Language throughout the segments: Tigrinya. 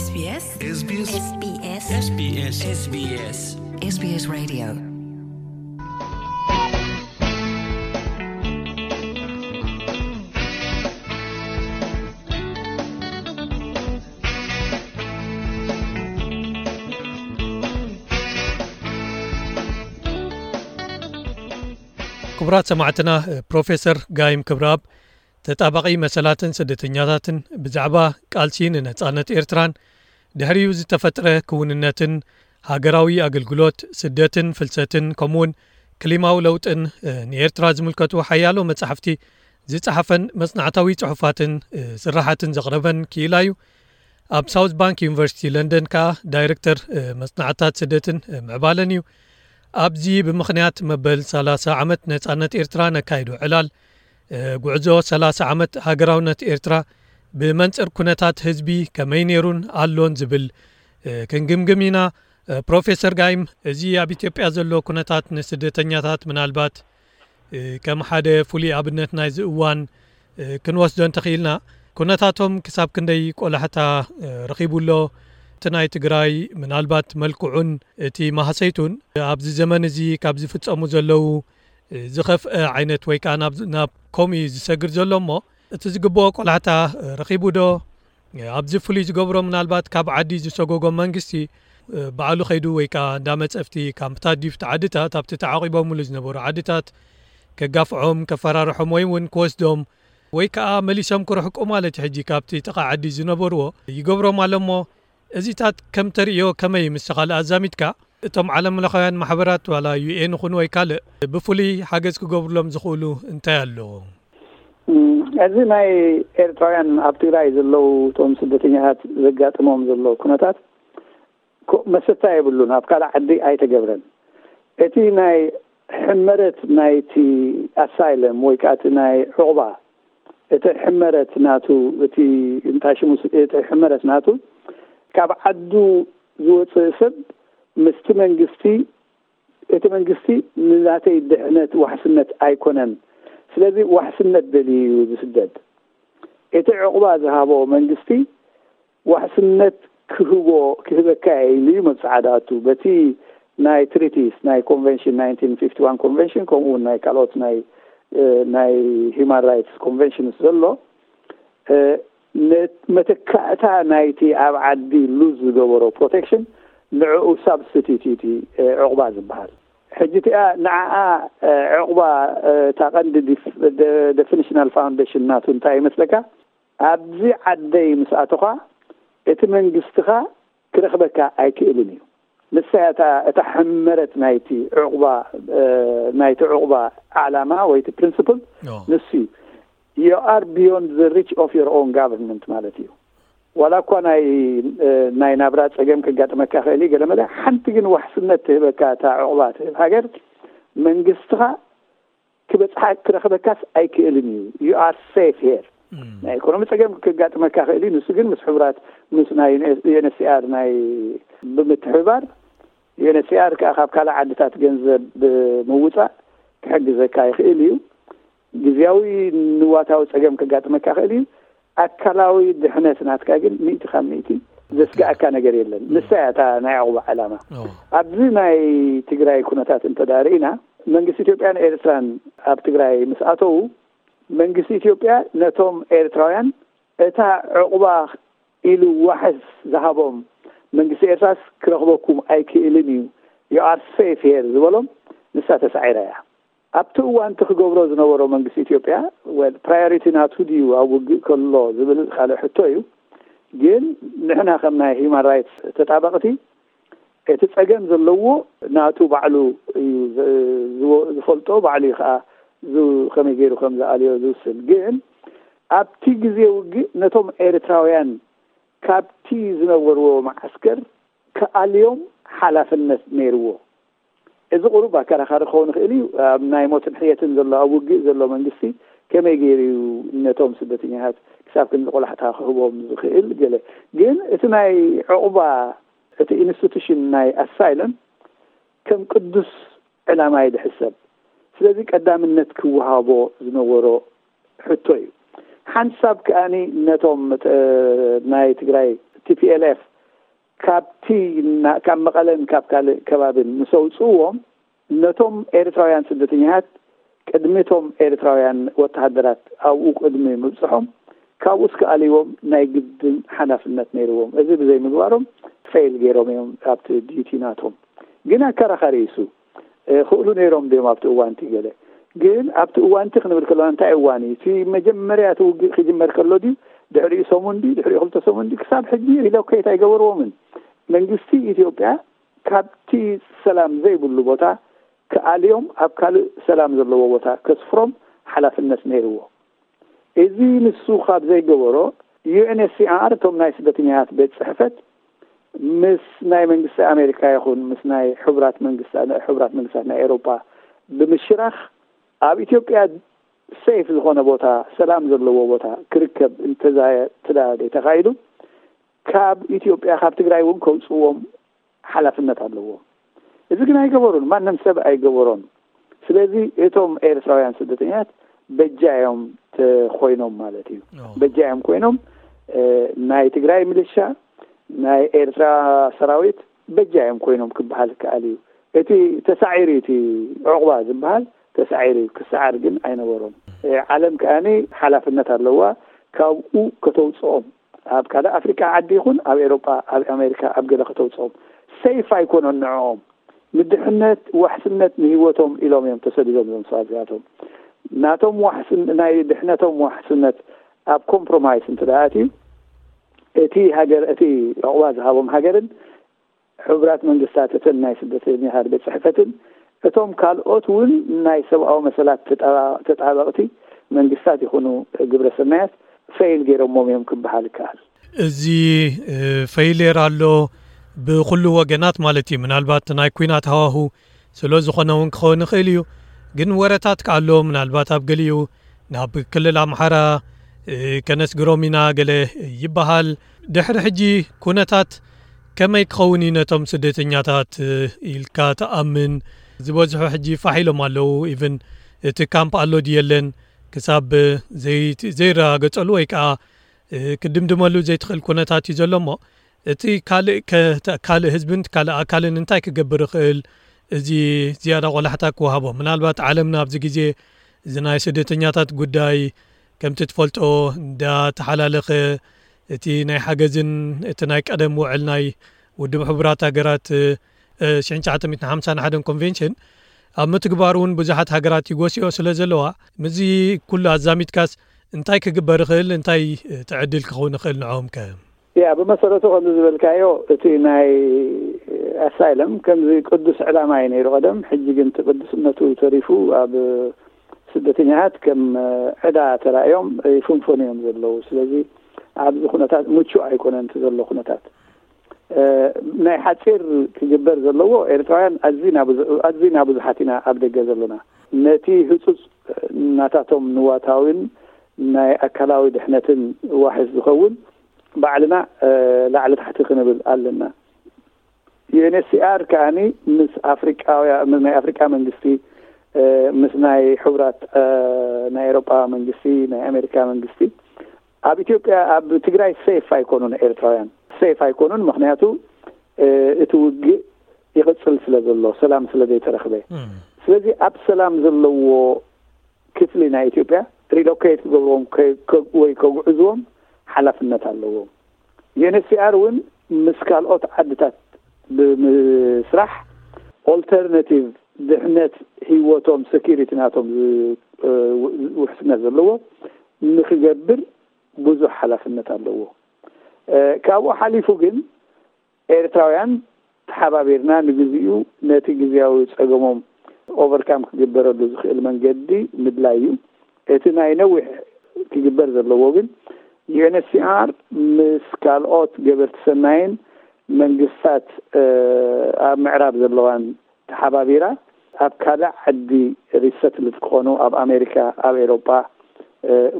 SBS SBS SBS SBS SBS Radio. ክቡራት ሰማዕትና፣ ፕሮፌሰር ጋይም ክብረኣብ፣ ተጣባቒ መሰላትን ስደተኛታትን፣ ብዛዕባ ቃልሲ ንነጻነት ኤርትራን ድሕሪኡ ዝተፈጥረ ክውንነትን፣ ሃገራዊ ኣገልግሎት፣ ስደትን ፍልሰትን፣ ከምኡውን ክሊማዊ ለውጥን፣ እ፣ ንኤርትራ ዝምልከቱ ሓያሎ መጻሕፍቲ ዝጸሓፈን መጽናዕታዊ ጽሑፋትን፣ እ፣ ስራሓትን ዘቕረበን ክኢላ እዩ። ኣብ ሳውዝ ባንክ ዩኒቨርሲቲ ለንደን ከኣ ዳይረክተር፣ እ፣ መጽናዕትታት ስደትን፣ እ፣ ምዕባለን እዩ። ኣብዚ ብምኽንያት መበል ሰላሳ ዓመት ነጻነት ኤርትራ ነካይዶ ዕላል፣ እ፣ ጉዕዞ ሰላሳ ዓመት ሃገራውነት ኤርትራ ብመንጽር ኩነታት ህዝቢ ከመይ ነይሩን ኣሎን ዝብል፣ እ፣ ክንግምግም ኢና። እ፣ ፕሮፌሰር ጋይም፣ እዚ ኣብ ኢትዮጵያ ዘሎ ኩነታት ንስደተኛታት ምናልባት፣ እ፣ ከም ሓደ ፍሉይ ኣብነት ናይዚ እዋን፣ እ፣ ክንወስዶ እንተኽኢልና፣ ኩነታቶም ክሳብ ክንደይ ቆላሕታ፣ እ፣ ረኺቡ ኣሎ? እቲ ናይ ትግራይ ምናልባት መልክዑን እቲ ማህሰይቱን ኣብዚ ዘመን እዚ ካብ ዝፍጸሙ ዘለዉ፣ እ፣ ዝኸፍአ ዓይነት ወይ ከኣ ናብ፣ ናብ ከምኡ እዩ ዝሰግር ዘሎ እሞ፣ እቲ ዝግብኦ ቆላሕታ፣ እ፣ ረኺቡ ዶ? ኣብዚ ፍሉይ ዝገብሮ ምናልባት ካብ ዓዲ ዝሰጎጎም መንግስቲ፣ እ፣ ባዕሉ ከይዱ ወይ ከኣ እንዳ መጸፍቲ ካምፕታት ድዩ ኣብቲ ዓድታት፣ ኣብቲ ተዓቂቦምሉ ዝነበሩ ዓድታት ከጋፍዖም፣ ከፈራርሖም ወይ እውን ክወስዶም ወይ ከኣ መሊሶም ክርሕቁ ማለት እዩ። ሕጂ ካብቲ ጥቓ ዓዲ ዝነበርዎ ይገብሮም ኣሎ እሞ፣ እዚታት ከም ተርእዮ ከመይ ምስ ካልእ ኣዛሚድካ? እቶም ዓለም ለኻውያን ማሕበራት ዋላ ዩ ኤን ይኹን ወይ ካልእ ብፍሉይ ሓገዝ ክገብርሎም ዝኽእሉ እንታይ ኣለዎ? እም፣ እዚ ናይ ኤርትራውያን ኣብ ትግራይ ዘለዉ እቶም ስደተኛታት ዘጋጥሞም ዘሎ ኩነታት ኮ-፣ መሰታ የብሉን፣ ኣብ ካልእ ዓዲ ኣይተገብረን። እቲ ናይ ሕመረት ናይቲ ኣሳይለም ወይ ከኣ እቲ ናይ ዕቑባ፣ እቲ ሕመረት ናቱ፣ እቲ እንታይ ሽሙ፣ እቲ ሕመረት ናቱ ካብ ዓዱ ዝወፅእ ሰብ ምስቲ መንግስቲ፣ እቲ መንግስቲ ንናተይ ድሕነት ዋሕስነት ኣይኮነን። ስለዚ ዋሕስነት ደልዩ እዩ ዝስደድ። እቲ ዕቑባ ዝሃቦ መንግስቲ ዋሕስነት ክህቦ፣ ክህበካ ኢሉ እዩ መብጽዓ ዝኣቱ። በቲ ናይ ትሪቲስ፣ ናይ ኮንቨንሽን፣ ናይንቲን ፊፍቲ ዋን ኮንቨንሽን፣ ከምኡ እውን ናይ ካልኦት ናይ፣ እ፣ ናይ ሂውማን ራይትስ ኮንቨንሽንስ ዘሎ፣ እ፣ ነ-፣ መተካእታ ናይቲ ኣብ ዓዲ ሉዝ ዝገበሮ ፕሮቴክሽን ንዕኡ ሳብስቲቲዩት እዩ እቲ፣ እ፣ ዕቑባ ዝበሃል። ሕጂ እቲኣ ንዓኣ፣ እ፣ ዕቑባ፣ እ፣ እታ ቀንዲ ዲፍ-፣ ደ-፣ ደፊኒሽናል ፋውንዴሽን ናቱ እንታይ ይመስለካ? ኣብዚ ዓደይ ምስ ኣተኻ እቲ መንግስትኻ ክረኽበካ ኣይክእልን እዩ። ንሳ እያ እታ፣ እታ ሕመረት ናይቲ ዕቑባ፣ እ፣ ናይቲ ዕቑባ ዓላማ ወይ እቲ ፕሪንስፕል ኦ። ንሱ እዩ። You are beyond the reach of your own government ማለት እዩ። ዋላ እኳ ናይ፣ እ፣ ናይ ናብራ ጸገም ከጋጥመካ ክእል እዩ፣ ገለ መለ ሓንቲ ግን ዋሕስነት ትህበካ እታ ዕቑባ ትህብ ሃገር መንግስትኻ ክበጽሓ ክረኽበካስ ኣይክእልን እዩ። You are safe here። እም። ናይ ኢኮኖሚ ጸገም ከጋጥመካ ክእል እዩ። ንሱ ግን ምስ ሕቡራት፣ ምስ ናይ ዩ ኤን ኤች ሲ ኣር ናይ ብምትሕብባር፣ ዩ ኤን ኤች ሲ ኣር ከኣ ካብ ካልእ ዓድታት ገንዘብ ብምውጻእ ክሕግዘካ ይኽእል እዩ። ግዝያዊ ንዋታዊ ጸገም ከጋጥመካ ክእል እዩ። ኣካላዊ ድሕነት ናትካ ግን ሚእቲ ካብ ሚእቲ ዘስግኣካ ነገር የለን። እም። ንሳ እያ እታ ናይ ዕቑባ ዕላማ። ኦ። ኣብዚ ናይ ትግራይ ኩነታት እንተ ደኣ ርኢና፣ መንግስቲ ኢትዮጵያን ኤርትራን ኣብ ትግራይ ምስ ኣተዉ፣ መንግስቲ ኢትዮጵያ ነቶም ኤርትራውያን እታ ዕቑባ ኢሉ ዋሕስ ዝሃቦም፣ መንግስቲ ኤርትራስ ክረኽበኩም ኣይክእልን እዩ፣ you are safe here ዝበሎም፣ ንሳ ተሳዒራ እያ። ኣብቲ እዋን እቲ ክገብሮ ዝነበሮ መንግስቲ ኢትዮጵያ፣ ወል፣ ፕራዮሪቲ ናቱ ድዩ ኣብ ውግእ ከሎ ዝብል ካልእ ሕቶ እዩ። ግን ንሕና ከም ናይ ሂውማን ራይትስ ተጣበቕቲ፣ እቲ ጸገም ዘለዎ ናቱ ባዕሉ እዩ ዝ-፣ ዝወ-፣ ዝፈልጦ፣ ባዕሉ እዩ ከኣ ዝ-፣ ከመይ ገይሩ ከም ዝኣልዮ ዝውስን። ግን ኣብቲ ግዜ ውግእ ነቶም ኤርትራውያን ካብቲ ዝነበርዎ መዓስከር ክኣልዮም ሓላፍነት ነይርዎ። እዚ ቁሩብ ኣከራኻሪ ክኸውን ይኽእል እዩ። ኣብ ናይ ሞትን ሕየትን ዘሎ፣ ኣብ ውግእ ዘሎ መንግስቲ ከመይ ገይሩ እዩ ነቶም ስደተኛታት ክሳብ ክንዲ ቆላሕታ ክህቦም ዝኽእል? ገለ ግን እቲ ናይ ዕቑባ፣ እቲ ኢንስቲቱሽን ናይ ኣሳይለም ከም ቅዱስ ዕላማ እዩ ዝሕሰብ። ስለዚ ቀዳምነት ክወሃቦ ዝነበሮ ሕቶ እዩ። ሓንሳብ ከኣኒ ነቶም፣ እ፣ ናይ ትግራይ ቲ ፒ ኤል ኤፍ ካብቲ ና- ካብ መቐለን ካብ ካልእ ከባብን ምስ ኣውፅእዎም፣ ነቶም ኤርትራውያን ስደተኛታት ቅድሚ እቶም ኤርትራውያን ወተሃደራት ኣብኡ ቅድሚ ምብፅሖም፣ ካብኡስ ክኣልይዎም ናይ ግድን ሓላፍነት ነይርዎም። እዚ ብዘይምግባሮም ፌል ገይሮም እዮም ኣብቲ ዲዩቲ ናቶም። ግን ኣከራኻሪ እዩ እሱ። ክእሉ ነይሮም ድዮም ኣብቲ እዋንቲ ገለ? ግን ኣብቲ እዋንቲ ክንብል ከለና እንታይ እዋን እዩ እቲ? መጀመርያ እቲ ውግእ ክጅመር ከሎ ድዩ? ድሕሪኡ ሰሙን ድዩ? ድሕሪኡ ክልተ ሰሙን ድዩ? ክሳብ ሕጂ ሪሎኬት ኣይገበርዎምን። መንግስቲ ኢትዮጵያ ካብቲ ሰላም ዘይብሉ ቦታ ክኣልዮም ኣብ ካልእ ሰላም ዘለዎ ቦታ ከስፍሮም ሓላፍነት ነይርዎ። እዚ ንሱ ካብ ዘይገበሮ፣ ዩ ኤን ኤች ሲ ኣር፣ እቶም ናይ ስደተኛታት ቤት ጽሕፈት፣ ምስ ናይ መንግስቲ ኣሜሪካ ይኹን ምስ ናይ ሕቡራት መንግስታ- ሕቡራት መንግስታት ናይ ኤውሮጳ ብምሽራኽ፣ ኣብ ኢትዮጵያ ሴፍ ዝኾነ ቦታ፣ ሰላም ዘለዎ ቦታ ክርከብ እንተዛ- ተዳ- ተኻኢሉ፣ ካብ ኢትዮጵያ፣ ካብ ትግራይ እውን ከውፅዎም ሓላፍነት ኣለዎም። እዚ ግን ኣይገበሩን፣ ማንም ሰብ ኣይገበሮን። ስለዚ እቶም ኤርትራውያን ስደተኛታት በጃ እዮም ተኮይኖም ማለት እዩ። በጃ እዮም ኮይኖም። ናይ ትግራይ ምልሻ፣ ናይ ኤርትራ ሰራዊት በጃ እዮም ኮይኖም ክበሃል ይከኣል እዩ። እቲ ተሳዒሩ፣ እቲ ዕቑባ ዝበሃል ተሳዒሩ እዩ። ክሰዓር ግን ኣይነበሮን። ዓለም ከኣኒ ሓላፍነት ኣለዋ፣ ካብኡ ከተውፅኦም። ኣብ ካልእ ኣፍሪቃ ዓዲ ይኹን ኣብ ኤሮጳ፣ ኣብ ኣሜሪካ፣ ኣብ ገለ ከተውፅኦም፣ ሰይፍ ኣይኮነን ንዕኦም። ንድሕነት ዋሕስነት ንህይወቶም ኢሎም እዮም ተሰዲዶም እዞም ሰባት እዚኣቶም። ናቶም ዋሕስን- ናይ ድሕነቶም ዋሕስነት ኣብ ኮምፕሮማይስ እንተ ደኣ ኣትዩ፣ እቲ ሃገር፣ እቲ ዕቑባ ዝሃቦም ሃገርን ሕቡራት መንግስታት፣ እተን ናይ ስደተኛታት ቤት ጽሕፈትን እቶም ካልኦት እውን ናይ ሰብኣዊ መሰላት ተጣ- ተጣበቕቲ መንግስታት ይኹኑ ግብረ ሰናያት ፈይል ገይሮሞም እዮም ክበሃል ይከኣል። እዚ ፌይሌር ኣሎ ብኹሉ ወገናት ማለት እዩ። ምናልባት ናይ ኩናት ሃዋሁ ስለ ዝኾነ እውን ክኸውን ይኽእል እዩ። ግን ወረታት ከኣሎ ምናልባት ኣብ ገሊኡ ናብ ክልል ኣምሓራ ከነስግሮም ኢና ገለ ይበሃል። ድሕሪ ሕጂ ኩነታት ከመይ ክኸውን እዩ ነቶም ስደተኛታት ኢልካ ትኣምን? ዝበዝሑ ሕጂ ፋሕ ኢሎም ኣለዉ። ኢቭን እቲ ካምፕ ኣሎ ድዩ የለን ክሳብ ዘይረጋገጸሉ ወይ ከዓ ክድምድመሉ ዘይትኽእል ኩነታት እዩ ዘሎ እሞ፣ እቲ ካልእ ከ- ካልእ ህዝብን ካልእ ኣካልን እንታይ ክገብር ይኽእል? እዚ ዝያዳ ቆላሕታ ክወሃቦ። ምናልባት ዓለምና ኣብዚ ግዜ እዚ ናይ ስደተኛታት ጉዳይ ከምቲ ትፈልጦ እንዳተሓላለኸ፣ እቲ ናይ ሓገዝን እቲ ናይ ቀደም ውዕል ናይ ውድብ ሕቡራት ሃገራት ሽሕን ትሽዓተ ሚእትን ሓምሳን ሓደን ኮንቬንሽን ኣብ ምትግባሩ እውን ብዙሓት ሃገራት ይጎስዮ ስለ ዘለዋ፣ ምስዚ ኩሉ ኣዛሚድካስ እንታይ ክግበር ይኽእል? እንታይ ትዕድል ክኸውን ይኽእል ንዕኦም ከ? ያ፣ ብመሰረቱ ከምዚ ዝበልካዮ፣ እቲ ናይ ኣሳይለም ከምዚ ቅዱስ ዕላማ እዩ ነይሩ ቀደም። ሕጂ ግን እቲ ቅዱስነቱ ተሪፉ ኣብ ስደተኛታት ከም ዕዳ ተራእዮም ይፍንፈኑ እዮም ዘለዉ። ስለዚ ኣብዚ ኩነታት ምቹእ ኣይኮነን እቲ ዘሎ ኩነታት። ናይ ሓፂር ክግበር ዘለዎ፣ ኤርትራውያን ኣዝና ብዙ- ኣዝና ብዙሓት ኢና ኣብ ደገ ዘለና። ነቲ ህፁፅ ናታቶም ንዋታዊን ናይ ኣካላዊ ድሕነትን ዋሕስ ዝኸውን ባዕልና ላዕሊ ታሕቲ ክንብል ኣለና። ዩ ኤን ኤች ሲ ኣር ከኣኒ ምስ ኣፍሪቃውያ- ምስ ናይ ኣፍሪቃ መንግስቲ፣ ምስ ናይ ሕቡራት ናይ ኤሮጳ መንግስቲ፣ ናይ ኣሜሪካ መንግስቲ ኣብ ኢትዮጵያ፣ ኣብ ትግራይ ሴፍ ኣይኮኑን ኤርትራውያን፣ ሴፍ ኣይኮኑን። ምክንያቱ እቲ ውግእ ይቕጽል ስለ ዘሎ፣ ሰላም ስለ ዘይተረኽበ። ስለዚ ኣብ ሰላም ዘለዎ ክፍሊ ናይ ኢትዮጵያ ሪሎኬት ክገብርዎም ከ- ከ- ወይ ከጉዕዝዎም ሓላፍነት ኣለዎም። ዩ ኤን ኤች ሲ ኣር እውን ምስ ካልኦት ዓድታት ብምስራሕ ኦልተርናቲቭ ድሕነት ህይወቶም፣ ሴኪሪቲ ናቶም ዝ- ውሕስነት ዘለዎ ንክገብር ብዙሕ ሓላፍነት ኣለዎ። ካብኡ ሓሊፉ ግን ኤርትራውያን ተሓባቢርና ንግዚኡ ነቲ ግዝያዊ ጸገሞም ኦቨርካም ክግበረሉ ዝኽእል መንገዲ ምድላይ እዩ። እቲ ናይ ነዊሕ ክግበር ዘለዎ ግን ዩ ኤን ኤች ሲ ኣር ምስ ካልኦት ገበርቲ ሰናይን መንግስታት ኣብ ምዕራብ ዘለዋን ተሓባቢራ ኣብ ካልእ ዓዲ ሪሰትልድ ክኾኑ፣ ኣብ ኣሜሪካ፣ ኣብ ኤሮጳ፣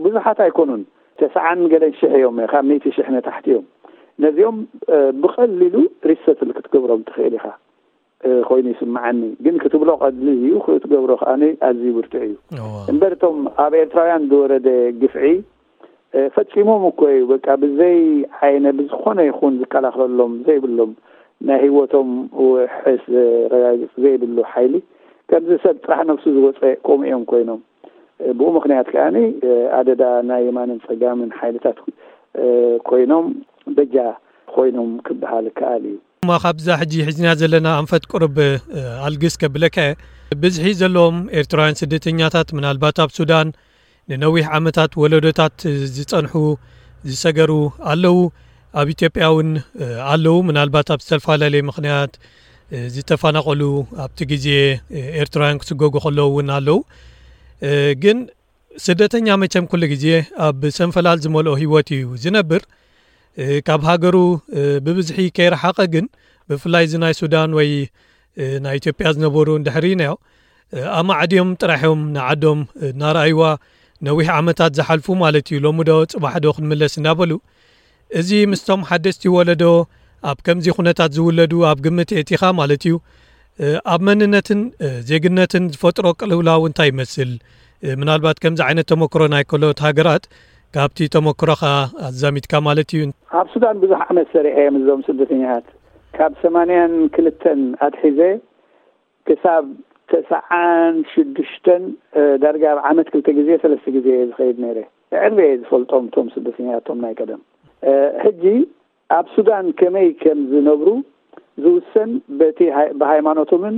ብዙሓት ኣይኮኑን፣ ተስዓን ገለን ሽሕ እዮም፣ ካብ ሚእቲ ሽሕ ንታሕቲ እዮም። ነዚኦም ብቐሊሉ ሪሰትል ክትገብሮም ትኽእል ኢኻ ኮይኑ ይስምዓኒ። ግን ክትብሎ ቀሊል እዩ፣ ክትገብሮ ከኣ ኣዝዩ ብርቱዕ እዩ። እምበር እቶም ኣብ ኤርትራውያን ዝወረደ ግፍዒ ፈፂሞም እኮ እዩ። በቃ ብዘይ ዓይነ ብዝኾነ ይኹን ዝከላኸለሎም ዘይብሎም ናይ ህይወቶም ውሕስ ዘረጋግፅ ዘይብሉ ሓይሊ ከምዚ ሰብ ጥራሕ ነብሱ ዝወፀ ከምኡ እዮም ኮይኖም። ብኡ ምኽንያት ከኣ ኣደዳ ናይ የማንን ጸጋምን ሓይልታት ኮይኖም በጃ ኮይኖም ክበሃል ከኣል እዩ። እሞ ካብዛ ሕጂ ሒዝና ዘለና ኣንፈት ቁርብ ኣልግስ ከብለካ እየ። ብዝሒ ዘለዎም ኤርትራውያን ስደተኛታት ምናልባት ኣብ ሱዳን ንነዊሕ ዓመታት ወለዶታት ዝጸንሑ ዝሰገሩ ኣለዉ። ኣብ ኢትዮጵያ እውን ኣለዉ። ምናልባት ኣብ ዝተፈላለየ ምኽንያት ዝተፈናቐሉ ኣብቲ ግዜ ኤርትራውያን ክስጎጉ ከለዉ እውን ኣለዉ። ግን ስደተኛ መቸም ኩሉ ግዜ ኣብ ሰንፈላል ዝመልኦ ህይወት እዩ ዝነብር። ካብ ሃገሩ ብብዝሒ ከይረሓቐ ግን ብፍላይ እዚ ናይ ሱዳን ወይ ናይ ኢትዮጵያ ዝነበሩ እንድሕር ኢናዮ ኣማዕድዮም ጥራሕ እዮም ንዓዶም እናረኣይዋ ነዊሕ ዓመታት ዝሓልፉ ማለት እዩ። ሎሚ ዶ ጽባሕ ዶ ክንምለስ እናበሉ እዚ ምስቶም ሓደስቲ ወለዶ ኣብ ከምዚ ኩነታት ዝውለዱ ኣብ ግምት የእቲኻ ማለት እዩ። ኣብ መንነትን ዜግነትን ዝፈጥሮ ቅልውላው እንታይ ይመስል? ምናልባት ከምዚ ዓይነት ተመክሮ ናይ ካልኦት ሃገራት ካብቲ ተመክሮኻ ኣዛሚድካ ማለት እዩ። ኣብ ሱዳን ብዙሕ ዓመት ሰሪሐ እየ ምስዞም ስደተኛታት ካብ ሰማንያን ክልተን ኣትሒዘ ክሳብ ተስዓን ሽዱሽተን ዳርጋ ኣብ ዓመት ክልተ ግዜ ሰለስተ ግዜ እየ ዝኸይድ ነይረ። ብዕርበ እየ ዝፈልጦም እቶም ስደተኛታት እቶም ናይ ቀደም። ሕጂ ኣብ ሱዳን ከመይ ከም ዝነብሩ ዝውሰን በቲ ብሃይማኖቶምን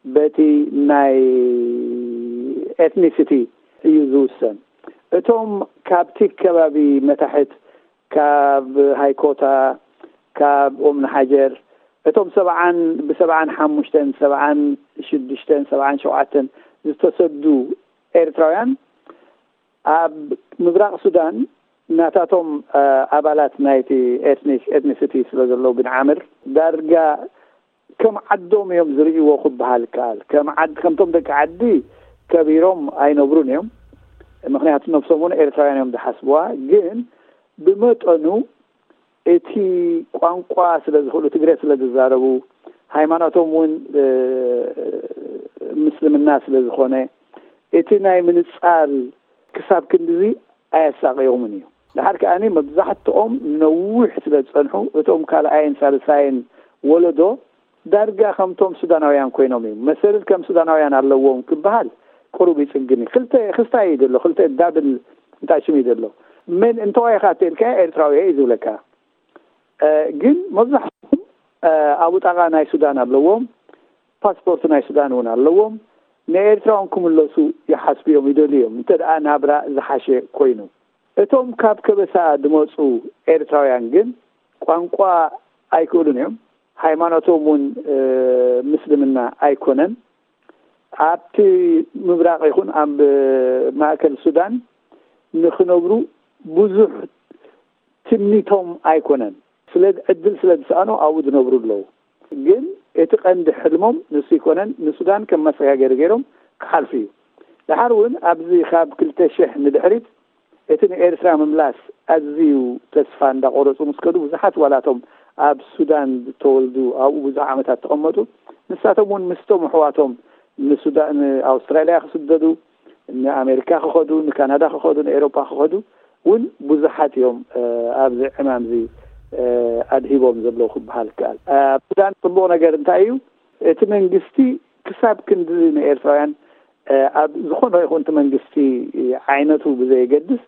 በቲ ናይ ኤትኒሲቲ እዩ ዝውሰን። እቶም ካብቲ ከባቢ መታሕት ካብ ሃይኮታ፣ ካብ ኦም ንሓጀር እቶም ሰብዓን ብሰብዓን ሓሙሽተን ሰብዓን ሽዱሽተን ሰብዓን ሸውዓተን ዝተሰዱ ኤርትራውያን ኣብ ምብራቕ ሱዳን ናታቶም ኣባላት ናይቲ ኤትኒክ ኤትኒሲቲ ስለ ዘለዉ ብንዓምር ዳርጋ ከም ዓዶም እዮም ዝርእይዎ ክበሃል ይከኣል። ከም ዓድ ከምቶም ደቂ ዓዲ ከቢሮም ኣይነብሩን እዮም። ምክንያቱ ነብሶም እውን ኤርትራውያን እዮም ዝሓስብዋ። ግን ብመጠኑ እቲ ቋንቋ ስለ ዝኽእሉ ትግረ ስለ ዝዛረቡ ሃይማኖቶም እውን ምስልምና ስለ ዝኾነ እቲ ናይ ምንጻል ክሳብ ክንድዚ ኣየሳቕዮምን እዩ። ድሓር ከኣ መብዛሕትኦም ነዊሕ ስለ ዝጸንሑ እቶም ካልኣይን ሳልሳይን ወለዶ ዳርጋ ከምቶም ሱዳናውያን ኮይኖም እዮም። መሰልል ከም ሱዳናውያን ኣለዎም ክበሃል ቅሩብ ይጽግን እዩ። ክልተ ክስታይ እዩ ዘሎ፣ ክልተ ዳብል እንታይ ሽም እዩ ዘሎ። ምን እንተዋይኻ ተልካ ኤርትራዊ እዩ ዝብለካ። ግን መብዛሕትኦም ኣብ ውጣቓ ናይ ሱዳን ኣለዎም፣ ፓስፖርት ናይ ሱዳን እውን ኣለዎም። ንኤርትራውን ክምለሱ ይሓስቡ እዮም፣ ይደልዩ እዮም፣ እንተ ደኣ ናብራ ዝሓሸ ኮይኑ። እቶም ካብ ከበሳ ዝመጹ ኤርትራውያን ግን ቋንቋ ኣይክእሉን እዮም። ሃይማኖቶም እውን ምስልምና ኣይኮነን። ኣብቲ ምብራቕ ይኹን ኣብ ማእከል ሱዳን ንኽነብሩ ብዙሕ ትምኒቶም ኣይኮነን። ስለ ዕድል ስለ ዝሰኣኑ ኣብኡ ዝነብሩ ኣለዉ። ግን እቲ ቀንዲ ሕልሞም ንሱ ይኮነን፣ ንሱዳን ከም መሰጋገሪ ገይሮም ክሓልፉ እዩ። ድሓር እውን ኣብዚ ካብ ክልተ ሽሕ ንድሕሪት እቲ ንኤርትራ ምምላስ ኣዝዩ ተስፋ እንዳቆረጹ ምስ ከዱ ብዙሓት ዋላቶም ኣብ ሱዳን ዝተወልዱ ኣብኡ ብዙሕ ዓመታት ተቐመጡ። ንሳቶም እውን ምስቶም ኣሕዋቶም ንሱዳን ንኣውስትራልያ ክስደዱ፣ ንኣሜሪካ ክኸዱ፣ ንካናዳ ክኸዱ፣ ንኤሮፓ ክኸዱ እውን ብዙሓት እዮም ኣብዚ ዕማም እዚ ኣድሂቦም ዘለዉ ክበሃል ይከኣል። ኣብ ሱዳን ጽቡቕ ነገር እንታይ እዩ? እቲ መንግስቲ ክሳብ ክንዲ ንኤርትራውያን ኣብ ዝኾነ ይኹን እቲ መንግስቲ ዓይነቱ ብዘየገድስ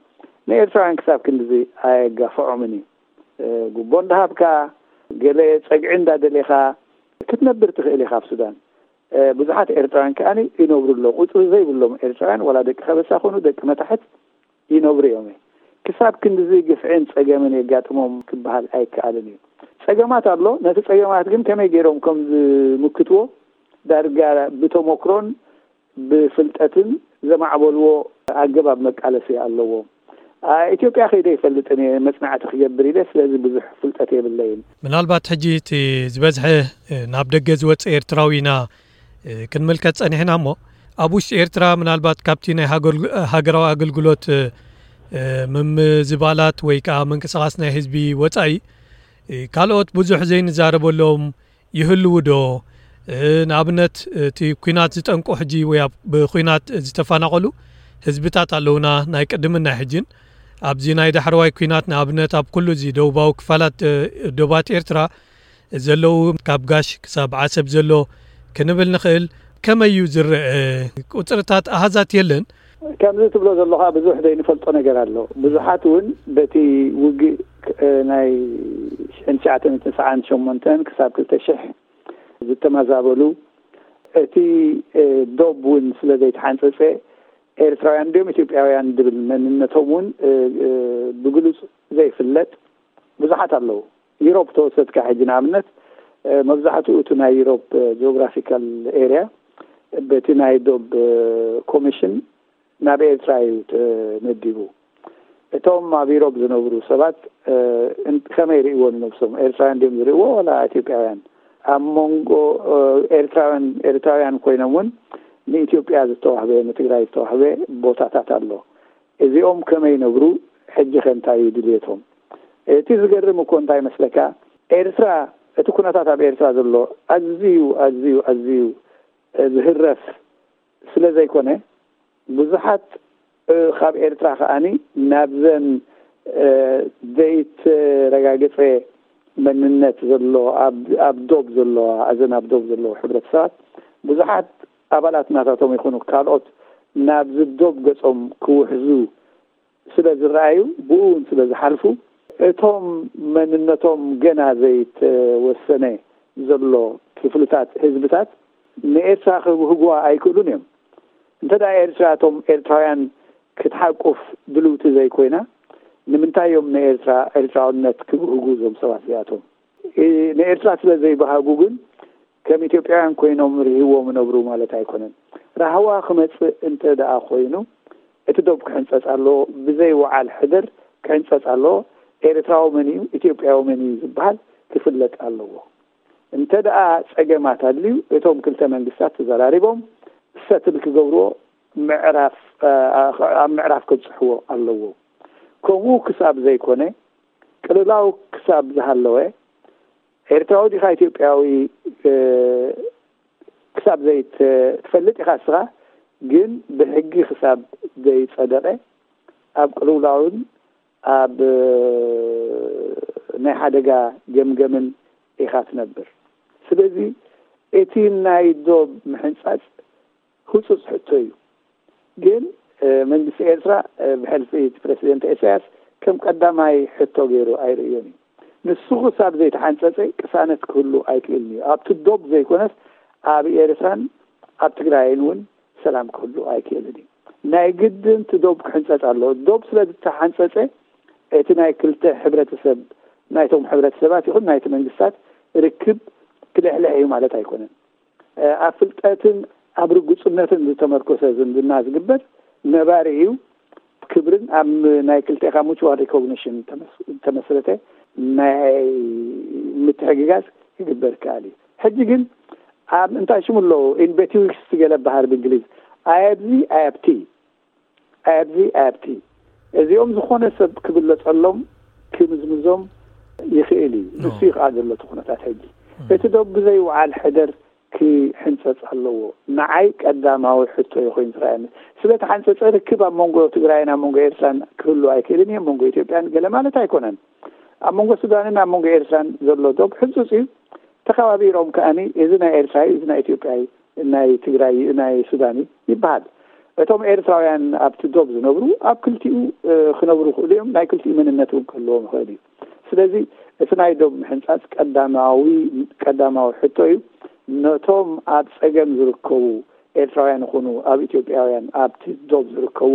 ንኤርትራውያን ክሳብ ክንድዚ ኣየጋፍዖምን እዩ። ጉቦ እንዳሃብካ ገለ ጸግዒ እንዳደሌኻ ክትነብር ትኽእል ኢኻ ኣብ ሱዳን። ብዙሓት ኤርትራውያን ከኣ ይነብሩ ኣለዉ። ቁጽሪ ዘይብሎም ኤርትራውያን ዋላ ደቂ ከበሳ ኮኑ ደቂ መታሕት ይነብሩ እዮም። ክሳብ ክንድዚ ግፍዕን ጸገምን የጋጥሞም ክበሃል ኣይከኣልን እዩ። ጸገማት ኣሎ። ነቲ ጸገማት ግን ከመይ ገይሮም ከም ዝምክትዎ ዳርጋ ብተመክሮን ብፍልጠትን ዘማዕበልዎ ኣገባብ መቃለሲ ኣለዎም። ኢትዮጵያ ከይደ ይፈልጥን እየ መጽናዕቲ ክገብር ኢለ፣ ስለዚ ብዙሕ ፍልጠት የብለይን። ምናልባት ሕጂ እቲ ዝበዝሐ ናብ ደገ ዝወፅእ ኤርትራዊ ኢና ክንምልከት ፀኒሕና እሞ ኣብ ውሽጢ ኤርትራ ምናልባት ካብቲ ናይ ሃገራዊ ኣገልግሎት ምምዝባላት ወይ ከዓ ምንቅስቃስ ናይ ህዝቢ ወፃኢ ካልኦት ብዙሕ ዘይንዛረበሎም ይህልዉ ዶ? ንኣብነት እቲ ኲናት ዝጠንቁ ሕጂ ወይ ብኲናት ዝተፈናቐሉ ህዝብታት ኣለውና ናይ ቅድምን ናይ ሕጅን ኣብዚ ናይ ዳሕረዋይ ኲናት፣ ንኣብነት ኣብ ኩሉ እዚ ደቡባዊ ክፋላት እ፣ ዶባት ኤርትራ ዘለዉ፣ ካብ ጋሽ ክሳብ ዓሰብ ዘሎ ክንብል ንኽእል። ከመይ እዩ ዝረአ? ቁጽርታት፣ ኣሃዛት የለን? ከምዚ ትብሎ ዘለኻ ብዙሕ ዘይንፈልጦ ነገር ኣሎ። ብዙሓት እውን በቲ ውግእ እ፣ ናይ ሽሕን ትሽዓተን ትስዓን ሸሞንተን ክሳብ ክልተ ሽሕ ዝተመዛበሉ፣ እቲ እ፣ ዶብ እውን ስለ ዘይተሓንጸጸ፣ ኤርትራውያን ድዮም ኢትዮጵያውያን ድብል መንነቶም እውን እ፣ እ፣ ብግሉጽ ዘይፍለጥ ብዙሓት ኣለዉ። ዩሮፕ ተወሰድካ ሕጂ ንኣብነት እ፣ መብዛሕትኡ እቲ ናይ ዩሮፕ እ፣ ጂኦግራፊካል ኤርያ በቲ ናይ ዶብ እ፣ ኮሚሽን ናብ ኤርትራ እዩ ተመዲቡ። እቶም ኣብ ዩሮፕ ዝነብሩ ሰባት እ፣ እን- ከመይ ይርእይዎ ንነብሶም? ኤርትራውያን ድዮም ዝርእይዎ ዋላ ኢትዮጵያውያን? ኣብ መንጎ እ፣ ኤርትራውያን ኤርትራውያን ኮይኖም እውን ንኢትዮጵያ ዝተዋህበ፣ ንትግራይ ዝተዋህበ ቦታታት ኣሎ። እዚኦም ከመይ ይነብሩ? ሕጂ ከ እንታይ እዩ ድልየቶም? እቲ ዝገርም እኮ እንታይ መስለካ? ኤርትራ፣ እቲ ኩነታት ኣብ ኤርትራ ዘሎ ኣዝዩ ኣዝዩ ኣዝዩ እ፣ ዝህረፍ ስለ ዘይኮነ፣ ብዙሓት እ፣ ካብ ኤርትራ ከኣኒ ናብዘን እ፣ ዘይተረጋገጸ መንነት ዘሎ ኣብ ኣብ ዶብ ዘለዋ፣ እዘን ኣብ ዶብ ዘለዉ ሕብረተሰባት ብዙሓት ኣባላት ናታቶም ይኹኑ ካልኦት ናብዚ ዶብ ገጾም ክውሕዙ ስለ ዝረኣዩ፣ ብኡ እውን ስለ ዝሓልፉ፣ እቶም መንነቶም ገና ዘይተወሰነ ዘሎ ክፍልታት ህዝብታት ንኤርትራ ክብህጉዋ ኣይክእሉን እዮም። እንተ ደኣ ኤርትራ እቶም ኤርትራውያን ክትሓቁፍ ድልውቲ ዘይኮይና፣ ንምንታይ እዮም ንኤርትራ ኤርትራውነት ክብህጉ እዞም ሰባት እዚኣቶም? እ፣ ንኤርትራ ስለ ዘይበሃጉ ግን ከም ኢትዮጵያውያን ኮይኖም ርህዎም ይነብሩ ማለት ኣይኮነን። ራህዋ ክመጽእ እንተ ደኣ ኮይኑ፣ እቲ ዶብ ክሕንጸጽ ኣለዎ። ብዘይ ወዓል ሕደር ክሕንጸጽ ኣለዎ። ኤርትራዊ መን እዩ፣ ኢትዮጵያዊ መን እዩ ዝበሃል ክፍለጥ ኣለዎ። እንተ ደኣ ጸገማት ኣድልዩ፣ እቶም ክልተ መንግስታት ተዘራሪቦም ሰትል ክገብርዎ ምዕራፍ፣ እ፣ ኣብ ምዕራፍ ከብጽሕዎ ኣለዎ። ከምኡ ክሳብ ዘይኮነ፣ ቅልውላው ክሳብ ዝሃለወ፣ ኤርትራዊ ዲኻ ኢትዮጵያዊ እ፣ ክሳብ ዘይትፈልጥ ኢኻ እስኻ፣ ግን ብሕጊ ክሳብ ዘይጸደቐ ኣብ ቅልውላውን ኣብ እ፣ ናይ ሓደጋ ገምገምን ኢኻ ትነብር። ስለዚ እቲ ናይ ዶብ ምሕንጻጽ ህጹጽ ሕቶ እዩ። ግን እ፣ መንግስቲ ኤርትራ እ፣ ብሕልፊ እቲ ፕረሲደንት ኢሳያስ ከም ቀዳማይ ሕቶ ገይሩ ኣይርእዮን እዩ። ንሱ ክሳብ ዘይተሓንጸጸ ቅሳነት ክህሉ ኣይክእልን እዩ። ኣብቲ ዶብ ዘይኮነስ ኣብ ኤርትራን ኣብ ትግራይን እውን ሰላም ክህሉ ኣይክእልን እዩ። ናይ ግድን እቲ ዶብ ክሕንጸጽ ኣለዎ። ዶብ ስለ ዝተሓንጸጸ እቲ ናይ ክልተ ሕብረተሰብ፣ ናይቶም ሕብረተሰባት ይኹን ናይቲ መንግስታት ርክብ ክልሕልሕ እዩ ማለት ኣይኮነን። እ፣ ኣብ ፍልጠትን ኣብ ርጉጽነትን ዝተመርኮሰ ዝምድና ዝግበር ነባሪ እዩ። ክብርን ኣብ ናይ ክልቴኻ ሙቹዋል ሪኮግኒሽን ተመስ-፣ ተመስረተ ናይ ምትሕግጋዝ ክግበር ይከኣል እዩ። ሕጂ ግን ኣብ እንታይ ሽሙ ኣለዉ ኢንቤቲዊክስ ገለ በሃል ብእንግሊዝ፣ ኣይ ኣብዚ ኣይ ኣብቲ፣ ኣይ ኣብዚ ኣይ ኣብቲ፣ እዚኦም ዝኾነ ሰብ ክብለጸሎም ክምዝምዞም ይኽእል እዩ። ኖ። ንሱ እዩ ከዓ ዘሎ እቲ ኩነታት ሕጂ። ም። እቲ ዶ ብዘይ ወዓል ሕደር ክሕንጸጽ ኣለዎ። ንዓይ ቀዳማዊ ሕቶ እዩ ኮይኑ ዝረኣየኒ። ስለ ተሓንጸጸ ርክብ ኣብ መንጎ ትግራይን ኣብ መንጎ ኤርትራን ክህሉ ኣይክእልን እዩ፣ ኣብ መንጎ ኢትዮጵያን ገለ ማለት ኣይኮነን። ኣብ መንጎ ሱዳንን ኣብ መንጎ ኤርትራን ዘሎ ዶብ ሕጹጽ እዩ። ተኸባቢሮም ከኣኒ እዚ ናይ ኤርትራ እዩ፣ እዚ ናይ ኢትዮጵያ እዩ፣ ናይ ትግራይ እዩ፣ ናይ ሱዳን እዩ ይበሃል። እቶም ኤርትራውያን ኣብቲ ዶብ ዝነብሩ ኣብ ክልቲኡ እ፣ ክነብሩ ይኽእሉ እዮም። ናይ ክልቲኡ መንነት እውን ክህልዎም ይኽእል እዩ። ስለዚ እቲ ናይ ዶብ ምሕንጻጽ ቀዳማዊ ቀዳማዊ ሕቶ እዩ። ነቶም ኣብ ጸገም ዝርከቡ ኤርትራውያን ይኹኑ ኣብ ኢትዮጵያውያን ኣብቲ ዶብ ዝርከቡ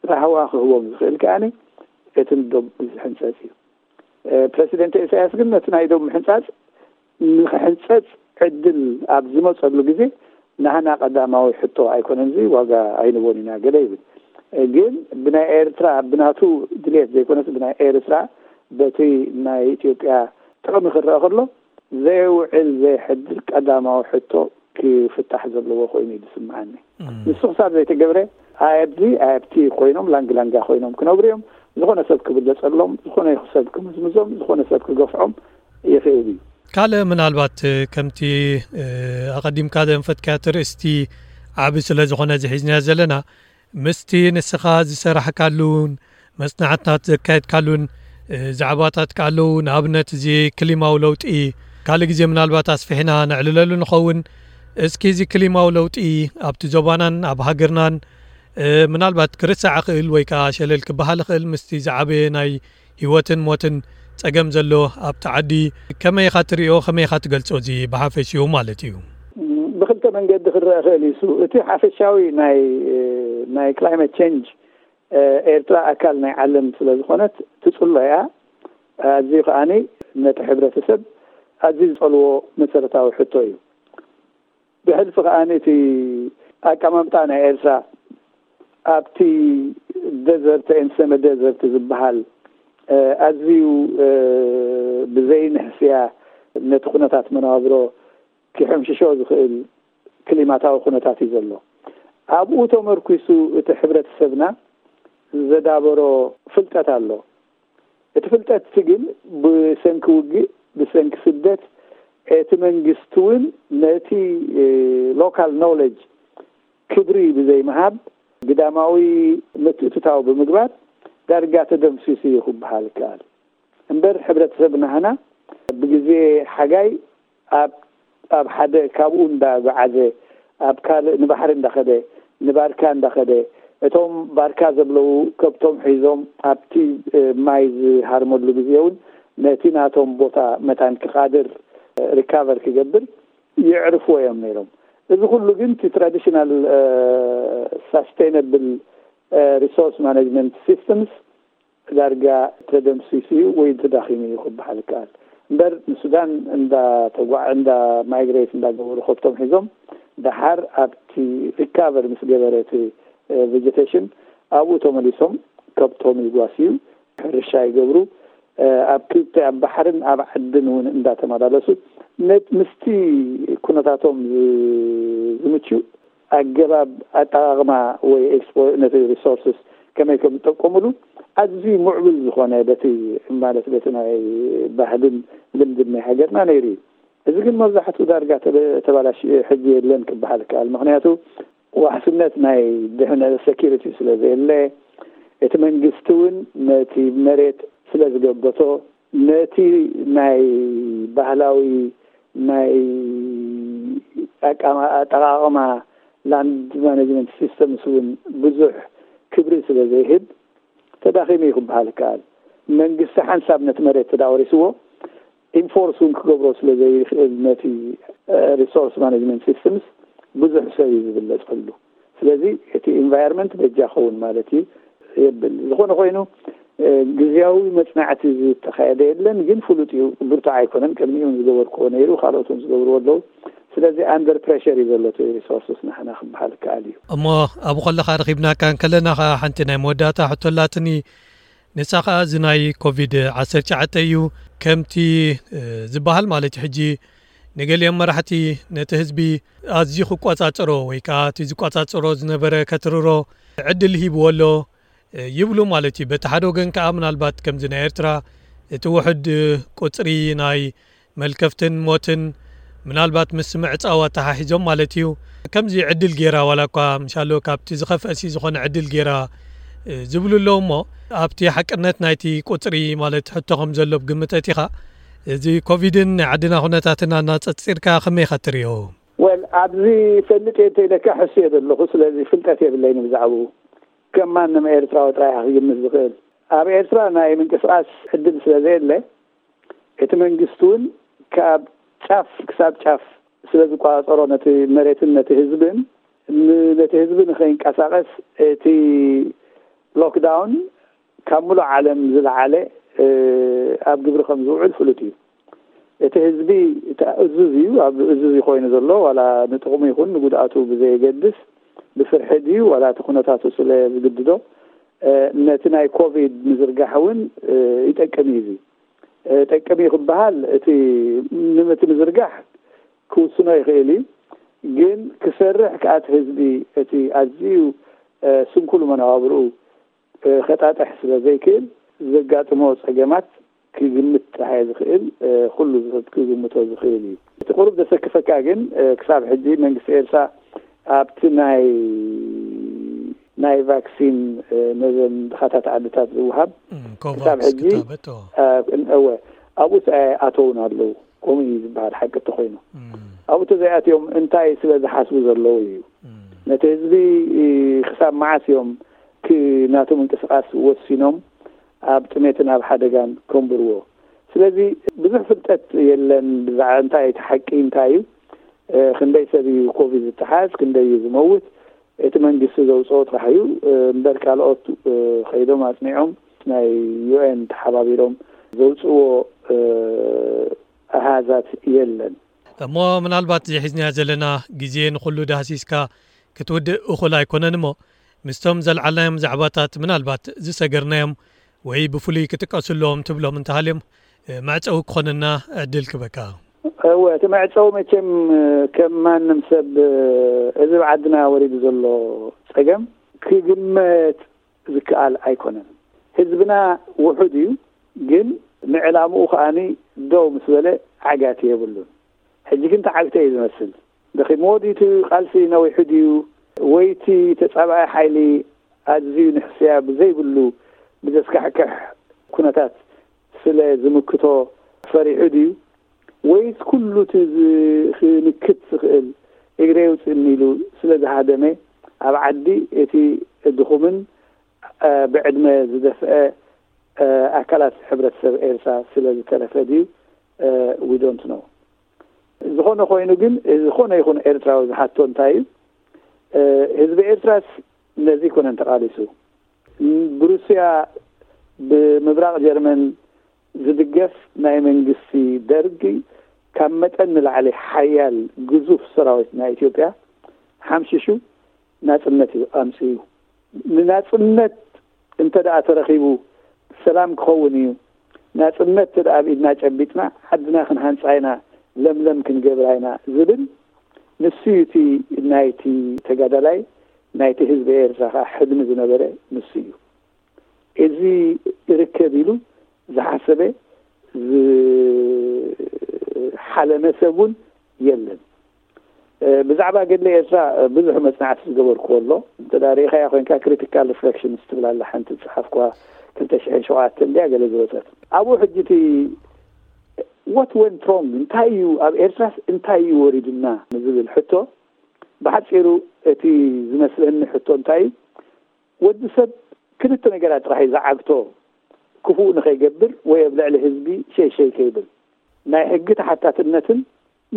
ራህዋ ክህቦም ዝኽእል ከኣኒ እቲ ዶብ ዝሕንጸጽ እዩ። እ፣ ፕረሲደንት ኢሳያስ ግን ነቲ ናይ ዶብ ምሕንጻጽ ንኽሕንጸጽ ዕድል ኣብ ዝመጸሉ ግዜ ናህና ቀዳማዊ ሕቶ ኣይኮነን፣ እዚ ዋጋ ኣይንቦን ኢና ገለ ይብል። እ፣ ግን ብናይ ኤርትራ ብናቱ ድልየት ዘይኮነስ ብናይ ኤርትራ በቲ ናይ ኢትዮጵያ ጥቕሚ ክረአ ከሎ ዘይውዕል ዘይሕድር ቀዳማዊ ሕቶ ክፍታሕ ዘለዎ ኮይኑ እዩ ዝስምዓኒ። እም። ንሱ ክሳብ ዘይተገብረ ኣይ ኣብዚ ኣይ ኣብቲ ኮይኖም ላንግ ላንጋ ኮይኖም ክነብሩ እዮም። ዝኾነ ሰብ ክብለጸሎም፣ ዝኾነ ሰብ ክምዝምዞም፣ ዝኾነ ሰብ ክገፍዖም ይኽእል እዩ። ካልእ ምናልባት ከምቲ እ፣ ኣቐዲምካ ዘንፈትካዮ ኣርእስቲ ዓቢ ስለ ዝኾነ እዚ ሒዝናዮ ዘለና ምስቲ ንስኻ ዝሰራሕካሉን መጽናዕትታት ዘካየድካሉን እ፣ ዛዕባታት ከኣ ኣለዉ። ንኣብነት፣ እዚ ክሊማዊ ለውጢ ካልእ ግዜ ምናልባት ኣስፊሕና ነዕልለሉ ንኸውን። እስኪ፣ እዚ ክሊማዊ ለውጢ ኣብቲ ዞባናን ኣብ ሃገርናን፣ እ፣ ምናልባት ክርሳዕ ይኽእል ወይ ከኣ ሸለል ክበሃል ይኽእል፣ ምስቲ ዝዓበየ ናይ ህይወትን ሞትን ጸገም ዘሎ ኣብቲ ዓዲ ከመይ ኢኻ ትርእዮ? ከመይ ኢኻ ትገልጾ? እዚ ብሓፈሽኡ ማለት እዩ። ብኽልተ መንገዲ ክረአ ይኽእል እዩ። እቲ ሓፈሻዊ ናይ፣ ናይ ክላይመት ቼንጅ፣ ኤርትራ ኣካል ናይ ዓለም ስለ ዝኾነት ትጽሎ እያ። ኣዝዩ ከኣኒ ነቲ ሕብረተሰብ ኣዝዩ ዝጸልዎ መሰረታዊ ሕቶ እዩ። ብሕልፊ ከኣኒ እቲ ኣቀማምጣ ናይ ኤርትራ ኣብቲ ደዘርት፣ ኤንድ ሰመ ደዘርት ዝበሃል፣ እ፣ ኣዝዩ፣ እ፣ ብዘይ ንሕስያ ነቲ ኩነታት መነባብሮ ክሕምሽሾ ዝኽእል ክሊማታዊ ኩነታት እዩ ዘሎ። ኣብኡ ተመርኲሱ እቲ ሕብረተሰብና ዘዳበሮ ፍልጠት ኣሎ። እቲ ፍልጠት እቲ ግን ብሰንኪ ውግእ፣ ብሰንኪ ስደት፣ እቲ መንግስቲ እውን ነቲ፣ እ፣ ሎካል ኖውለጅ ክብሪ ብዘይምሃብ፣ ግዳማዊ ምትእትታው ብምግባር ዳርጋ ተደምሲሱ እዩ ክበሃል ይከኣል። እምበር ሕብረተሰብ ናህና ብግዜ ሓጋይ ኣብ፣ ኣብ ሓደ ካብኡ እንዳጓዓዘ፣ ኣብ ካልእ ንባሕሪ እንዳኸደ፣ ንባርካ እንዳኸደ፣ እቶም ባርካ ዘብለዉ ከብቶም ሒዞም ኣብቲ፣ እ፣ ማይ ዝሃርመሉ ግዜ እውን ነቲ ናቶም ቦታ መታን ክቓድር፣ እ፣ ሪካቨር ክገብር የዕርፍዎ እዮም ነይሮም። እዚ ኩሉ ግን እቲ ትራዲሽናል፣ እ፣ ሳስቴይነብል፣ እ፣ ሪሶርስ ማኔጅመንት ሲስተምስ ዳርጋ ተደምሲሱ እዩ ወይ ተዳኺሙ እዩ ክበሃል ይከኣል። እምበር ንሱዳን እንዳ ተጓ-፣ እንዳ ማይግሬት እንዳገበሩ ከብቶም ሒዞም፣ ደሓር ኣብቲ ሪካቨር ምስ ገበረ እቲ፣ እ፣ ቬጀቴሽን፣ ኣብኡ ተመሊሶም ከብቶም ይጓስዩ፣ ሕርሻ ይገብሩ። እ፣ ኣብ ክልተ፣ ኣብ ባሕርን ኣብ ዓድን እውን እንዳተመላለሱ፣ ነት-፣ ምስቲ ኩነታቶም ዝ-፣ ዝምችኡ ኣገባብ ኣጠቓቕማ ወይ ኤክስፖ-፣ ነቲ ሪሶርስስ ከመይ ከም ዝጠቀሙሉ ኣዝዩ ምዕቡል ዝኾነ፣ በቲ፣ ማለት፣ በቲ ናይ ባህልን ልምድን ናይ ሃገርና ነይሩ እዩ። እዚ ግን መብዛሕትኡ ዳርጋ ተበ-፣ ተባላሽዩ፣ ሕጂ የለን ክበሃል ይከኣል። ምኽንያቱ ዋሕስነት ናይ ድሕነ-፣ ሴኪሪቲ ስለ ዘየለ፣ እቲ መንግስቲ እውን ነቲ መሬት ስለ ዝገበቶ፣ ነቲ ናይ ባህላዊ ናይ ኣቃማ-፣ ኣጠቓቕማ ላንድ ማኔጅመንት ሲስተምስ እውን ብዙሕ ክብሪ ስለ ዘይህብ ተዳኺሙ እዩ ክበሃል ይከኣል። መንግስቲ ሓንሳብ ነቲ መሬት ተዳወሪስዎ፣ ኢንፎርስ እውን ክገብሮ ስለ ዘይኽእል፣ ነቲ፣ እ፣ ሪሶርስ ማኔጅመንት ሲስተምስ ብዙሕ ሰብ እዩ ዝብለጸሉ። ስለዚ እቲ ኢንቫይሮንመንት በጃ ኸውን ማለት እዩ የብል። ዝኾነ ኮይኑ፣ እ፣ ግዝያዊ መጽናዕቲ ዝተኻየደ የለን፣ ግን ፍሉጥ እዩ። ብርቱዕ ኣይኮነን። ቅድሚኡ እውን ዝገበርክዎ ነይሩ፣ ካልኦት እውን ዝገብርዎ ኣለዉ። ስለዚ ኣንደር ፕሬሸር እዩ ዘሎ እቲ ሪሶርስስ ናሕና ክበሃል ይከኣል እዩ። እሞ ኣብኡ ከለኻ ረኺብናካ እንከለና ኸኣ ሓንቲ ናይ መወዳእታ ሕቶ ኣላትኒ። ንሳ ኸኣ እዚ ናይ ኮቪድ ዓሰርተ ትሽዓተ እዩ። ከምቲ፣ እ፣ ዝበሃል ማለት እዩ፣ ሕጂ ንገሊኦም መራሕቲ ነቲ ህዝቢ ኣዝዩ ክቆጻጸሮ ወይ ከኣ እቲ ዝቆጻጸሮ ዝነበረ ከትርሮ ዕድል ሂብዎ ኣሎ፣ እ፣ ይብሉ ማለት እዩ። በቲ ሓደ ወገን ከኣ ምናልባት ከምዚ ናይ ኤርትራ እቲ ውሑድ፣ እ፣ ቁጽሪ ናይ መልከፍትን ሞትን ምናልባት ምስ ምዕጻው ኣተሓሒዞም ማለት እዩ፣ ከምዚ ዕድል ጌራ ዋላ እኳ ምሻሎ ካብቲ ዝኸፍአሲ ዝኾነ ዕድል ጌራ፣ እ፣ ዝብሉ ኣለዉ። እሞ ኣብቲ ሓቅነት ናይቲ ቁጽሪ ማለት ሕቶ ከም ዘሎ ብግምት ኣቲኻ፣ እዚ ኮቪድን ናይ ዓድና ኩነታትን ኣናጸጺርካ ከመይ ኢኻ ትርእዮ? ወል፣ ኣብዚ ፈልጥ እየ እንተኢለካ ሕሱ እየ ዘለኹ። ስለዚ ፍልጠት የብለይን ብዛዕባኡ። ከም ማንም ኤርትራዊ ጥራይ እየ ክግምት ዝኽእል። ኣብ ኤርትራ ናይ ምንቅስቓስ ዕድል ስለ ዘየለ፣ እቲ መንግስቲ እውን ካብ ጫፍ ክሳብ ጫፍ ስለ ዝቆጻጸሮ ነቲ መሬትን ነቲ ህዝብን፣ ን-፣ ነቲ ህዝቢ ንኸይንቀሳቐስ እቲ ሎክዳውን ካብ ሙሉእ ዓለም ዝለዓለ፣ እ፣ ኣብ ግብሪ ከም ዝውዕል ፍሉጥ እዩ። እቲ ህዝቢ እታ እዙዝ እዩ፣ ኣብ እዙዝ እዩ ኮይኑ ዘሎ፣ ዋላ ንጥቕሙ ይኹን ንጉድኣቱ ብዘየገድስ፣ ብፍርሒ ድዩ ዋላ እቲ ኩነታቱ ስለ ዝግድዶ፣ እ፣ ነቲ ናይ ኮቪድ ምዝርጋሕ እውን፣ እ፣ ይጠቅም እዩ። እዚ፣ እ፣ ጠቅም እዩ ክበሃል፣ እቲ ን-፣ እቲ ምዝርጋሕ ክውስኖ ይኽእል እዩ፣ ግን ክሰርሕ ከኣ እቲ ህዝቢ እቲ ኣዝዩ፣ እ፣ ስንኩል መነባብርኡ እ፣ ከጣጥሕ ስለ ዘይክእል፣ ዘጋጥሞ ጸገማት ክግምት ጥራይ ዝኽእል፣ እ፣ ኩሉ ሰብ ክግምቶ ዝኽእል እዩ። እቲ ቁሩብ ዘሰክፈካ ግን፣ እ፣ ክሳብ ሕጂ መንግስቲ ኤርትራ ኣብቲ ናይ ናይ ቫክሲን ነዘን ድኻታት ዓድታት ዝውሃብ ክሳብ ሕጂ እወ ኣብኡስ ኣተውን ኣለዉ። ከምኡ እዩ ዝበሃል ሓቂ እንተኮይኑ ኣብኡ ተዘይኣትዮም እንታይ ስለ ዝሓስቡ ዘለዉ እዩ። ነቲ ህዝቢ ክሳብ መዓስ እዮም ናቱ ምንቅስቃስ ወሲኖም ኣብ ጥሜትን ኣብ ሓደጋን ከንብርዎ? ስለዚ ብዙሕ ፍልጠት የለን ብዛዕባ እንታይ እቲ ሓቂ እንታይ እዩ፣ ክንደይ ሰብ እዩ ኮቪድ ዝተሓዝ፣ ክንደይ እዩ ዝመውት፣ እቲ መንግስቲ ዘውፅኦ ጥራሕ እዩ እምበር ካልኦት ከይዶም ኣፅኒዖም ናይ ዩኤን ተሓባቢሮም ዘውፅዎ ኣሃዛት የለን። እሞ ምናልባት እዚ ሒዝናዮ ዘለና ግዜ ንኹሉ ዳህሲስካ ክትውድእ እኹል ኣይኮነን እሞ ምስቶም ዘልዓልናዮም ዛዕባታት ምናልባት ዝሰገርናዮም ወይ ብፍሉይ ክጥቀሱ ኣለዎም ትብሎም እንተሃልዮም መዕፀዊ ክኾነና ዕድል ክበካ። እወ እቲ መዕፀዊ መቸም ከም ማንም ሰብ እዚ ኣብ ዓድና ወሪዱ ዘሎ ፀገም ክግመት ዝከኣል ኣይኮነን። ህዝብና ውሑድ እዩ፣ ግን ንዕላምኡ ከኣኒ ደው ምስ በለ ዓጋቲ የብሉን። ሕጂ ግን ተዓግተ እዩ ዝመስል። ደኺምዎ ድዩ እቲ ቃልሲ ነዊሑ ድዩ ወይ እቲ ተጻባኢ ሓይሊ ኣዝዩ ንሕስያ ብዘይብሉ ብዘስካሕክሕ ኩነታት ስለ ዝምክቶ ፈሪሑ ድዩ ወይስ ኩሉ እቲ ክንክት ዝኽእል እግረ የውፅእኒ ኢሉ ስለ ዝሃደመ ኣብ ዓዲ እቲ ድኹምን ብዕድመ ዝደፍአ ኣካላት ሕብረተሰብ ኤርትራ ስለ ዝተረፈ ድዩ? We don't know። ዝኾነ ኮይኑ ግን ዝኾነ ይኹን ኤርትራዊ ዝሓቶ እንታይ እዩ? ህዝቢ ኤርትራስ ነዚ ኣይኮነን ተቓሊሱ። ብሩስያ ብምብራቕ ጀርመን ዝድገፍ ናይ መንግስቲ ደርጊ ካብ መጠን ንላዕሊ ሓያል ግዙፍ ሰራዊት ናይ ኢትዮጵያ ሓምሺሹ ናጽነት እዩ ኣምጺኡ። ንናጽነት እንተ ደኣ ተረኺቡ ሰላም ክኸውን እዩ፣ ናጽነት እንተ ደኣ ኣብ ኢድና ጨቢጥና ዓድና ክንሃንጻ ኢና፣ ለምለም ክንገብራ ኢና ዝብል ንሱ እዩ እቲ ናይቲ ተጋዳላይ ናይቲ ህዝቢ ኤርትራ ከዓ ሕልሚ ዝነበረ ንሱ እዩ። እዚ ይርከብ ኢሉ ዝሓሰበ ዝሓለመ ሰብ እውን የለን። ብዛዕባ ገድሊ ኤርትራ ብዙሕ መጽናዕቲ ዝገበርኩዎ ኣሎ። እንተ ርኢኻያ ኮይንካ ክሪቲካል ሪፍሌክሽንስ ትብል ኣላ ሓንቲ ዝጸሓፍኩዋ ክልተ ሽሕን ሸውዓተን እንድያ ገለ ዝወጸት። ኣብኡ ሕጂ እቲ what went wrong እንታይ እዩ ኣብ ኤርትራስ እንታይ እዩ ወሪዱና ንዝብል ሕቶ ብሓጺሩ እቲ ዝመስለኒ ሕቶ እንታይ እዩ ወዲ ሰብ ክልተ ነገራት ጥራሕ እዩ ዝዓግቶ ክፉእ ንኸይገብር ወይ ኣብ ልዕሊ ህዝቢ ሸይሸይ ከይብል ናይ ሕጊ ተሓታትነትን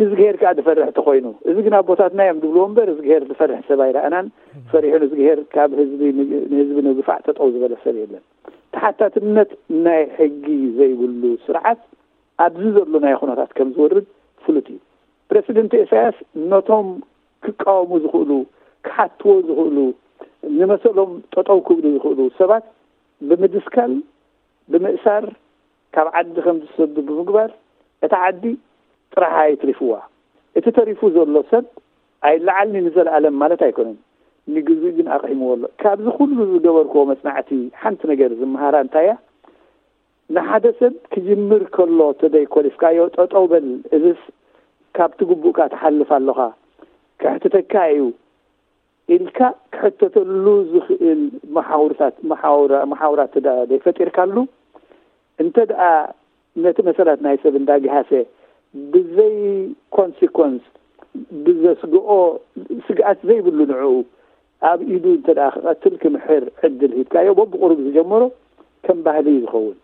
ንዝግሄር ከዓ ዝፈርሕ ተኾይኑ እዚ ግን ኣቦታትና እዮም ዝብልዎ እምበር እዝግሄር ዝፈርሕ ሰብ ኣይረኣናን። ፈሪሑ ንዝግሄር ካብ ህዝቢ ንህዝቢ ንግፋዕ ጠጠው ዝበለ ሰብ የለን። ተሓታትነት ናይ ሕጊ ዘይብሉ ስርዓት ኣብዚ ዘሎ ናይ ኩነታት ከም ዝወርድ ፍሉጥ እዩ። ፕረሲደንት ኢሳያስ ነቶም ክቃወሙ ዝኽእሉ ክሓትዎ ዝኽእሉ ንመሰሎም ጠጠው ክብሉ ዝኽእሉ ሰባት ብምድስካል ብምእሳር ካብ ዓዲ ከም ዝሰዱ ብምግባር እታ ዓዲ ጥራሓ የትሪፍዋ። እቲ ተሪፉ ዘሎ ሰብ ኣይለዓልኒ ንዘለኣለም ማለት ኣይኮነን። ንግዜኡ ግን ኣቕሒምዎ ኣሎ። ካብዚ ኩሉ ዝገበርክዎ መጽናዕቲ ሓንቲ ነገር ዝመሃራ እንታይ እያ? ንሓደ ሰብ ክጅምር ከሎ ተደይኮሊፍካዮ ጠጠው በል እዝስ ካብቲ ግቡእካ ትሓልፍ ኣለኻ ከሕትተካ እዩ ኢልካ ክሕተተሉ ዝኽእል መሓውርታት መሓውራ መሓውራት እንተ ደኣ ዘይፈጢርካሉ እንተ ደኣ ነቲ መሰላት ናይ ሰብ እንዳግሃሰ ብዘይ ኮንሲኮንስ ብዘስግኦ ስግኣት ዘይብሉ ንዕኡ ኣብ ኢዱ እንተ ደኣ ክቐትል ክምሕር ዕድል ሂብካዮ በብቑሩብ ዝጀመሮ ከም ባህሊ እዩ ዝኸውን።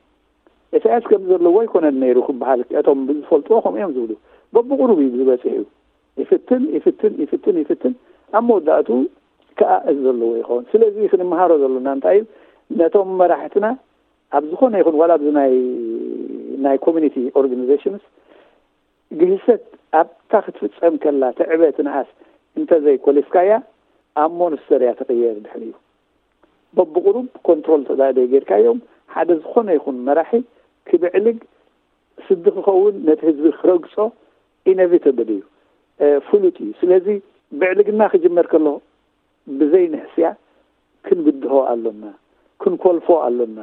ኢሳያስ ከም ዘለዎ ኣይኮነን ነይሩ ክበሃል እቶም ዝፈልጥዎ ከምኡ እዮም ዝብሉ። በብቑሩብ እዩ ዝበፅሕ እዩ። ይፍትን ይፍትን ይፍትን ይፍትን ኣብ መወዳእቱ ከዓ እዚ ዘለዎ ይኸውን። ስለዚ ክንመሃሮ ዘሎና እንታይ እዩ ነቶም መራሕትና ኣብ ዝኾነ ይኹን ዋላ ኣብዚ ናይ ናይ ኮሚኒቲ ኦርጋኒዜሽንስ ግህሰት ኣብታ ክትፍፀም ከላ ትዕበ ትንኣስ እንተዘይኮሊፍካያ ኣብ ሞንስተር እያ ትቕየር። ድሕሪኡ በብቑሩብ ኮንትሮል ተዳደይ ጌርካዮም ሓደ ዝኾነ ይኹን መራሒ ክብዕልግ ስዲ ክኸውን ነቲ ህዝቢ ክረግጾ ኢነቪተብል እዩ፣ ፍሉጥ እዩ። ስለዚ ብዕልግና ክጅመር ከሎ ብዘይ ንሕስያ ክንብድሆ ኣሎና፣ ክንኮልፎ ኣሎና።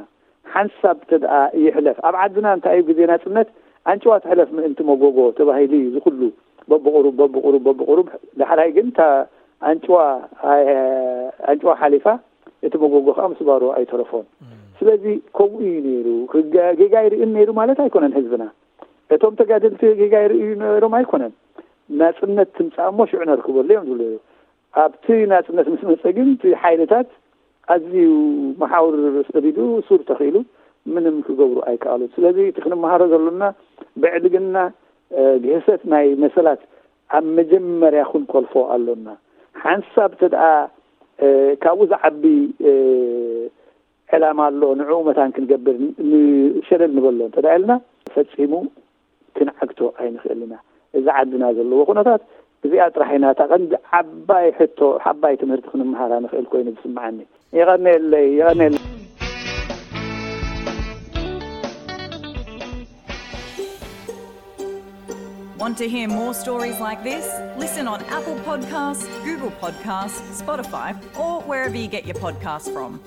ሓንሳብ ተደኣ ይሕለፍ። ኣብ ዓድና እንታይ እዩ ግዜ ናጽነት ኣንጭዋ ትሕለፍ ምእንቲ መጎጎ ተባሂሉ እዩ ዝኹሉ በብቑሩብ በብቑሩብ በብቑሩብ። ዳሕራይ ግን እታ ኣንጭዋ ኣንጭዋ ሓሊፋ እቲ መጎጎ ከዓ ምስባሩ ኣይተረፎን። ስለዚ ከምኡ እዩ ነይሩ። ጌጋ ይርእን ነይሩ ማለት ኣይኮነን ህዝብና። እቶም ተጋደልቲ ጌጋ ይርእዩ ነይሮም ኣይኮነን። ናፅነት ትምፃእ እሞ ሽዑ ነርክበሉ እዮም ዝብሉ። ኣብቲ ናፅነት ምስ መፀ ግን እቲ ሓይልታት ኣዝዩ መሓውር ሰዲዱ ሱር ተኽኢሉ ምንም ክገብሩ ኣይከኣሉን። ስለዚ እቲ ክንመሃሮ ዘሎና ብዕድግና ግህሰት ናይ መሰላት ኣብ መጀመርያ ክንኮልፎ ኣሎና። ሓንሳብ ተደኣ ካብኡ ዝዓቢ ዕላማ ኣሎ፣ ንዕኡ መታን ክንገብር ንሸለል ንበሎ እንተ ኢልና ፈጺሙ ክንዓግቶ ኣይንኽእል ኢና። እዚ ዓድና ዘለዎ ኩነታት እዚኣ ጥራሕ ኢና እታ ቀንዲ ዓባይ ሕቶ፣ ዓባይ ትምህርቲ ክንምሃራ ንኽእል ኮይኑ ዝስምዓኒ። የቐንየለይ፣ የቐንየለይ። Want to hear more stories like this? Listen on Apple Podcasts, Google Podcasts, Spotify, or wherever you get your podcasts from.